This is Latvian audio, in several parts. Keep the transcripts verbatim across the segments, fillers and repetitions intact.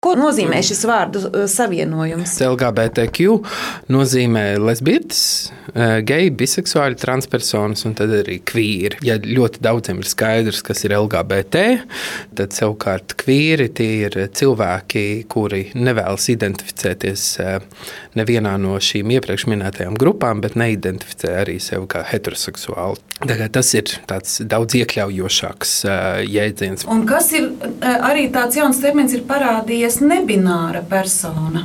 Ko nozīmē šis vārdu savienojums? L G B T Q nozīmē lesbietes, geji, biseksuāļi, transpersonas un tad arī kvīri. Ja ļoti daudziem ir skaidrs, kas ir L G B T, tad savukārt kvīri tie ir cilvēki, kuri nevēlas identificēties nevienā no šīm iepriekš minētajām grupām, bet neidentificē arī sevi kā heteroseksuāli. Tagad tas ir tāds daudz iekļaujošāks jēdziens. Un kas ir arī tāds jauns termins ir parādījies? Nebināra persona.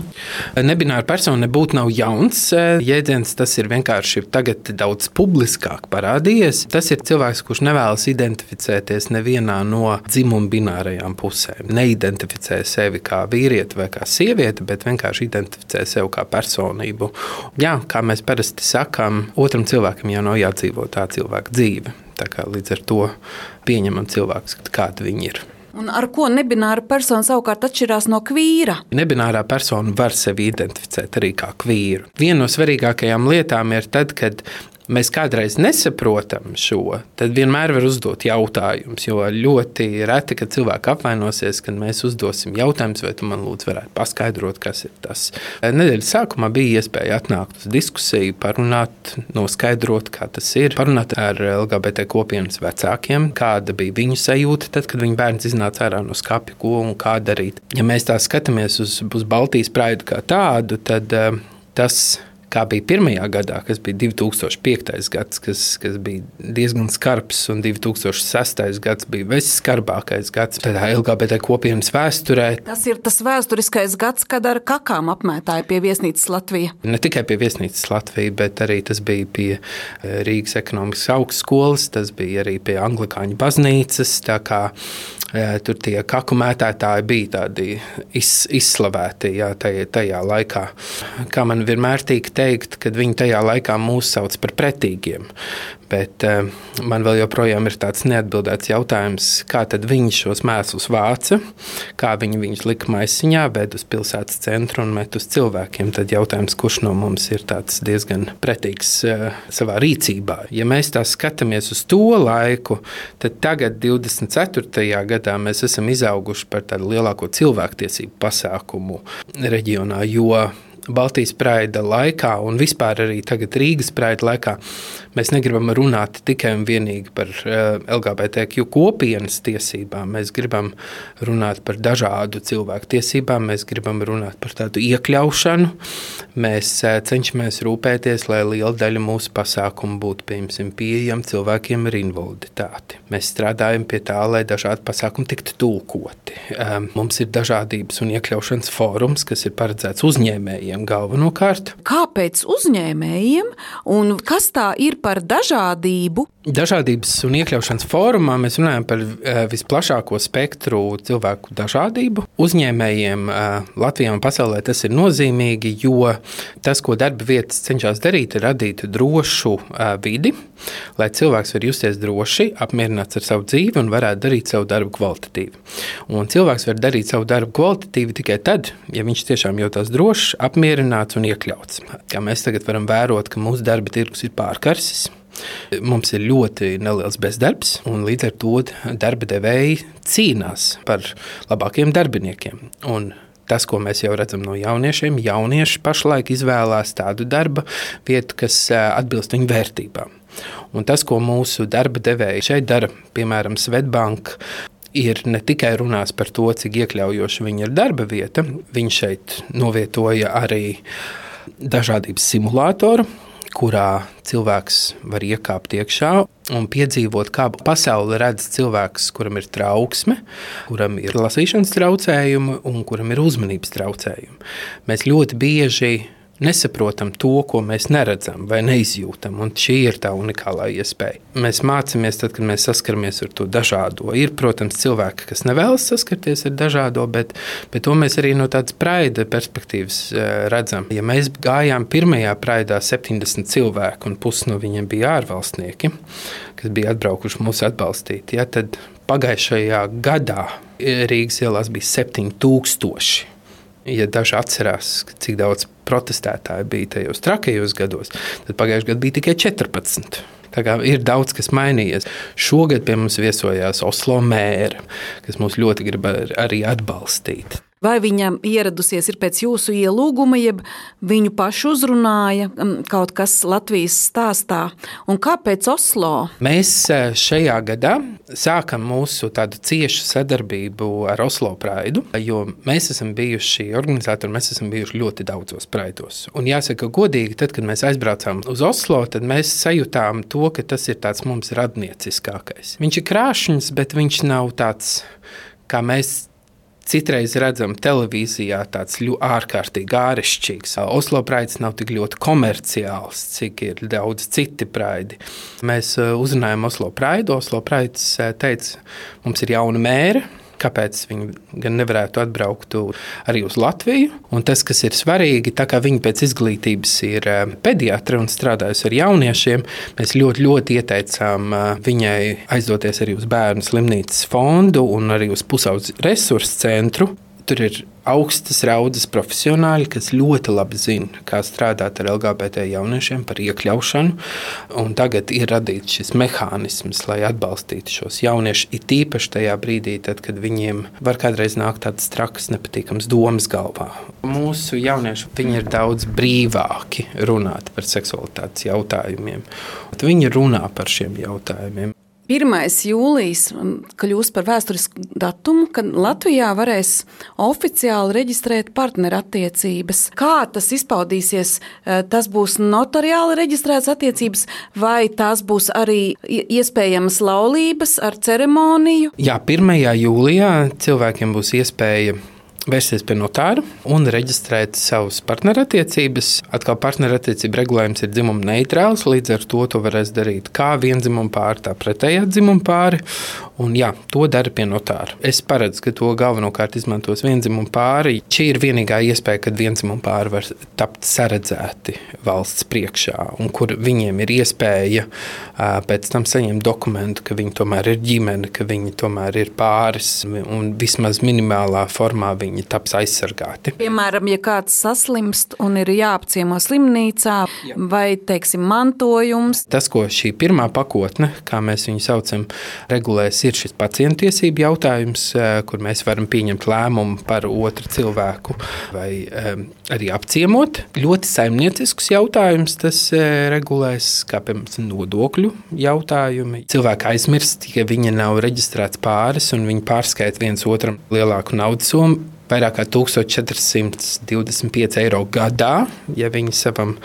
Nebināra persona nebūtu nav jauns jēdziens, tas ir vienkārši tagad daudz publiskāk parādījies. Tas ir cilvēks, kurš nevēlas identificēties nevienā no dzimuma binārajām pusēm. Neidentificē sevi kā vīrieti vai kā sievieti, bet vienkārši identificē sevi kā personību. Jā, kā mēs parasti sakām, otram cilvēkam jau nav jādzīvo tā cilvēka dzīve. Tā kā līdz ar to pieņemam cilvēkus, kādi viņi ir. Un ar ko nebināra persona savukārt atšķirās no kvīra? Nebinārā persona var sevi identificēt arī kā kvīru. Viena no svarīgākajām lietām ir tad, kad mēs kādreiz nesaprotam šo, tad vienmēr var uzdot jautājumus, jo ļoti reti, kad cilvēki apvainosies, kad mēs uzdosim jautājumus, vai tu man lūdzu varētu paskaidrot, kas ir tas. Nedēļas sākumā bija iespēja atnākt uz diskusiju, parunāt, noskaidrot, kā tas ir, parunāt ar L G B T kopienas vecākiem, kāda bija viņu sajūta, tad, kad viņa bērns iznāca ārā no skapja, ko un kā darīt. Ja mēs tā skatāmies uz, uz Baltijas praidu kā tādu, tad uh, tas kā bija pirmajā gadā, kas bija divi tūkstoši piektais gads, kas, kas bija diezgan skarbs, un divi tūkstoši sestais gads bija visskarbākais gads tādā L G B T kopienas vēsturē. Tas ir tas vēsturiskais gads, kad ar kakām apmētāja pie viesnīcas Latvija. Ne tikai pie viesnīcas Latvija, bet arī tas bija pie Rīgas ekonomikas augstskolas, tas bija arī pie Anglikāņu baznīcas, tā kā tur tie kaku mētātāji bija tādi iz, izslavēti jā, tajā, tajā laikā. Kā man vienmēr tīk teikt, kad viņi tajā laikā mūs sauc par pretīgiem. Bet uh, man vēl joprojām ir tāds neatbildēts jautājums, kā tad viņi šos mēslus vāca, kā viņi viņus lika maisiņā, ved uz pilsētas centru un met uz cilvēkiem. Tad jautājums, kurš no mums ir tāds diezgan pretīgs uh, savā rīcībā. Ja mēs tā skatāmies uz to laiku, tad tagad divdesmit ceturtajā gadā mēs esam izauguši par tādu lielāko cilvēktiesību pasākumu reģionā, jo Baltijas praida laikā un vispār arī tagad Rīgas praida laikā mēs negribam runāt tikai un vienīgi par L G B T Q kopienas tiesībām. Mēs gribam runāt par dažādu cilvēku tiesībām, mēs gribam runāt par tādu iekļaušanu. Mēs cenšamies rūpēties, lai liela daļa mūsu pasākumu būtu, piemēram, pieejama cilvēkiem ar invaliditāti. Mēs strādājam pie tā, lai dažādi pasākumi tiktu tulkoti. Mums ir dažādības un iekļaušanas fórums, kas ir paredzēts uzņēmējiem galvenokārt. Kāpēc uzņēmējiem un kas tā ir par dažādību? Dažādības un iekļaušanas fórumā mēs runājam par visplašāko spektru cilvēku dažādību. Uzņēmējiem Latvijā un pasaulē tas ir nozīmīgi, jo tas, ko darba vietas cenšas darīt, ir radīt drošu vidi, lai cilvēks var justies droši, apmierināts ar savu dzīvi un varētu darīt savu darbu kvalitatīvi. Un cilvēks var darīt savu darbu kvalitatīvi tikai tad, ja viņš tiešām jūtas drošs, apmierināts un iekļauts. Kā mēs tagad varam vērot, ka mūsu darba tirgus ir pārkarsis. Mums ir ļoti neliels bezdarbs, un līdz ar to darba devēji cīnās par labākiem darbiniekiem. Un tas, ko mēs jau redzam no jauniešiem, jaunieši pašlaik izvēlās tādu darba vietu, kas atbilst viņu vērtībām. Un tas, ko mūsu darba devēji šeit dara, piemēram, Svetbank, ir ne tikai runās par to, cik iekļaujoši viņa ir darba vieta, viņš šeit novietoja arī dažādības simulātoru, kurā cilvēks var iekāpt iekšā un piedzīvot, kā pasauli redz cilvēks, kuram ir trauksme, kuram ir lasīšanas traucējumi un kuram ir uzmanības traucējumi. Mēs ļoti bieži nesaprotam to, ko mēs neredzam vai neizjūtam, un šī ir tā unikālā iespēja. Mēs mācāmies tad, kad mēs saskaramies ar to dažādo. Ir, protams, cilvēki, kas nevēlas saskarties ar dažādo, bet, bet to mēs arī no tādas praida perspektīvas redzam. Ja mēs gājām pirmajā praidā septiņdesmit cilvēku, un pusi no viņiem bija ārvalstnieki, kas bija atbraukuši mūs atbalstīt, ja, tad pagājušajā gadā Rīgas ielās bija septiņi tūkstoši. Ja daži atcerās, cik daudz protestētāji bija tajos trakajos gados, tad pagājušajā gadā bija tikai četrpadsmit. Tā kā ir daudz, kas mainījies. Šogad pie mums viesojās Oslo mēra, kas mūs ļoti grib arī atbalstīt. Vai viņa ieradusies ir pēc jūsu ielūguma, jeb viņu pašu uzrunāja kaut kas Latvijas stāstā? Un kāpēc Oslo? Mēs šajā gadā sākam mūsu tādu ciešu sadarbību ar Oslo Praidu, jo mēs esam bijuši organizatori, mēs esam bijuši ļoti daudzos praidos. Un jāsaka godīgi, tad, kad mēs aizbraucām uz Oslo, tad mēs sajūtām to, ka tas ir tāds mums radnieciskākais. Viņš ir krāšņs, bet viņš nav tāds, kā mēs citreiz redzam televīzijā, tāds ļoti ārkārtīgi ārešķīgs. Oslo praids nav tik ļoti komerciāls, cik ir daudz citi praidi. Mēs uzrunājam Oslo praidu. Oslo praids teica, mums ir jauna mēre, kāpēc viņi gan nevarētu atbraukt arī uz Latviju. Un tas, kas ir svarīgi, tā kā viņi pēc izglītības ir pediatri un strādājusi ar jauniešiem, mēs ļoti, ļoti ieteicām viņai aizdoties arī uz bērnu slimnīcas fondu un arī uz Pusaudzes resursu centru. Tur ir augstas raudzes profesionāļi, kas ļoti labi zina, kā strādāt ar L G B T jauniešiem par iekļaušanu. Un tagad ir radīts šis mehānisms, lai atbalstītu šos jauniešus, it īpaši tajā brīdī, tad, kad viņiem var kādreiz nākt tādas trakas, nepatīkamas domas galvā. Mūsu jaunieši, viņi ir daudz brīvāki runāt par seksualitātes jautājumiem. Viņi runā par šiem jautājumiem. pirmais jūlijas kļūs par vēsturisku datumu, kad Latvijā varēs oficiāli reģistrēt partnerattiecības. Kā tas izpaudīsies? Tas būs notariāli reģistrētas attiecības, vai tās būs arī iespējamas laulības ar ceremoniju? Jā, pirmajā jūlijā cilvēkiem būs iespēja vērsties pie notāra un reģistrēt savus partnerattiecības. Atkal partnerattiecību regulējums ir dzimuma neitrāls, līdz ar to to varēs darīt kā viendzimuma pāri, tā pretējā dzimuma pāri. Un jā, to dara pie notāra. Es paredzu, ka to galvenokārt izmantos viendzimuma pāri. Šī ir vienīgā iespēja, kad viendzimuma pāri var tapt saredzēti valsts priekšā, un kur viņiem ir iespēja pēc tam saņemt dokumentu, ka viņi tomēr ir ģimene, ka viņi tomēr ir pāris, un vismaz minimālā formā viņi taps aizsargāti. Piemēram, ja kāds saslimst un ir jāapciemo slimnīcā, Jā. vai, teiksim, mantojums. Tas, ko šī pirmā pakotne, kā mēs viņu saucam, regulēs, ir šis pacientiesību jautājums, kur mēs varam pieņemt lēmumu par otru cilvēku vai um, arī apciemot. Ļoti saimniecisks jautājums tas regulēs, kā piemēram nodokļu jautājumi. Cilvēki aizmirst, ja viņi nav reģistrēts pāris un viņi pārskaita viens otram lielāku naudas summu. Vairāk kā tūkstoš četri simti divdesmit pieci eiro gadā, ja viņi savam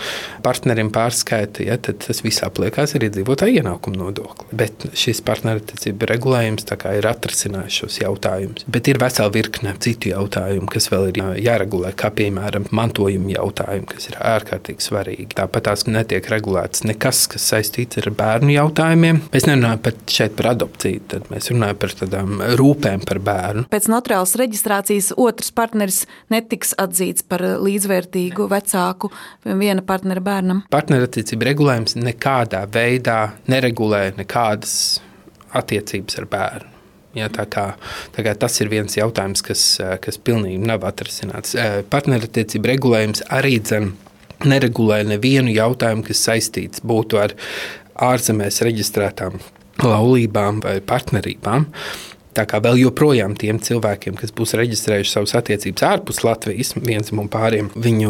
partnerim pārskaita, ja, tad tas viss apliekās arī dzīvotāju ienākumu nodokli. Bet šis partnerattiecību regulējums tā kā ir atrisinājis šos jautājumus. Bet ir vesela virkne citu jautājumu, kas vēl ir jāregulē, kā piemēram mantojuma jautājumi, kas ir ārkārtīgi svarīgi. Tāpat tās netiek regulēts nekas, kas saistīts ar bērnu jautājumiem. Mēs nerunājam pat šeit par adopciju, tad mēs runājam par tādām rūpēm par bērnu. Pēc notariālas reģistrācijas otrs partneris netiks atzīts par līdzvērtīgu vecāku viena partnera bērnam. Partnerattiecību regulējums nekādā veidā neregulē nekādas attiecības ar bērnu. Ja, tā kā, tā kā tas ir viens jautājums, kas, kas pilnīgi nav atrisināts. Partnerattiecību regulējums arī dzen neregulē nevienu jautājumu, kas saistīts būtu ar ārzemēs reģistrētām laulībām vai partnerībām. Tā kā vēl joprojām tiem cilvēkiem, kas būs reģistrējuši savas attiecības ārpus Latvijas, viendzimuma pāriem, viņu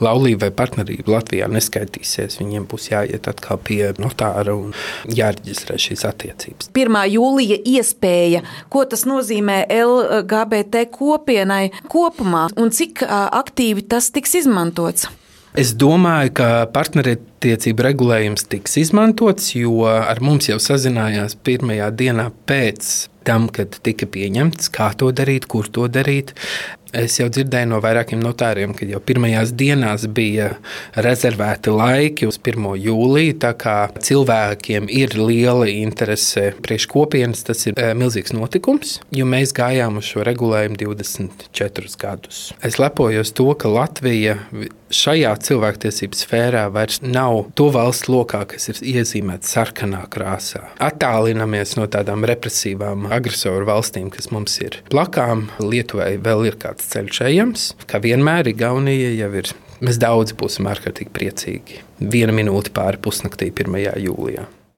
laulība vai partnerība Latvijā neskaitīsies. Viņiem būs jāiet atkal pie notāra un jāreģistrē šīs attiecības. pirmā jūlija iespēja, ko tas nozīmē L G B T kopienai kopumā un cik aktīvi tas tiks izmantots? Es domāju, ka partnerattiecību regulējums tiks izmantots, jo ar mums jau sazinājās pirmajā dienā pēc tam, kad tika pieņemts, kā to darīt, kur to darīt. Es jau dzirdēju no vairākiem notāriem, ka jau pirmajās dienās bija rezervēti laiki uz pirmo jūliju, tā kā cilvēkiem ir liela interese priekš kopienas, tas ir milzīgs notikums, jo mēs gājām uz šo regulējumu divdesmit četrus gadus. Es lepojos to, ka Latvija šajā cilvēktiesību sfērā vairs nav to valsts lokā, kas ir iezīmēta sarkanā krāsā. Attālinamies no tādām represīvām agresoru valstīm, kas mums ir blakām. Lietuvai vēl ir kāds ceļš ejams. Kā vienmēr, Igaunija jau ir. Mēs daudz būsim ārkārtīgi priecīgi. Viena minūte pāri pusnaktī pirmajā jūlijā.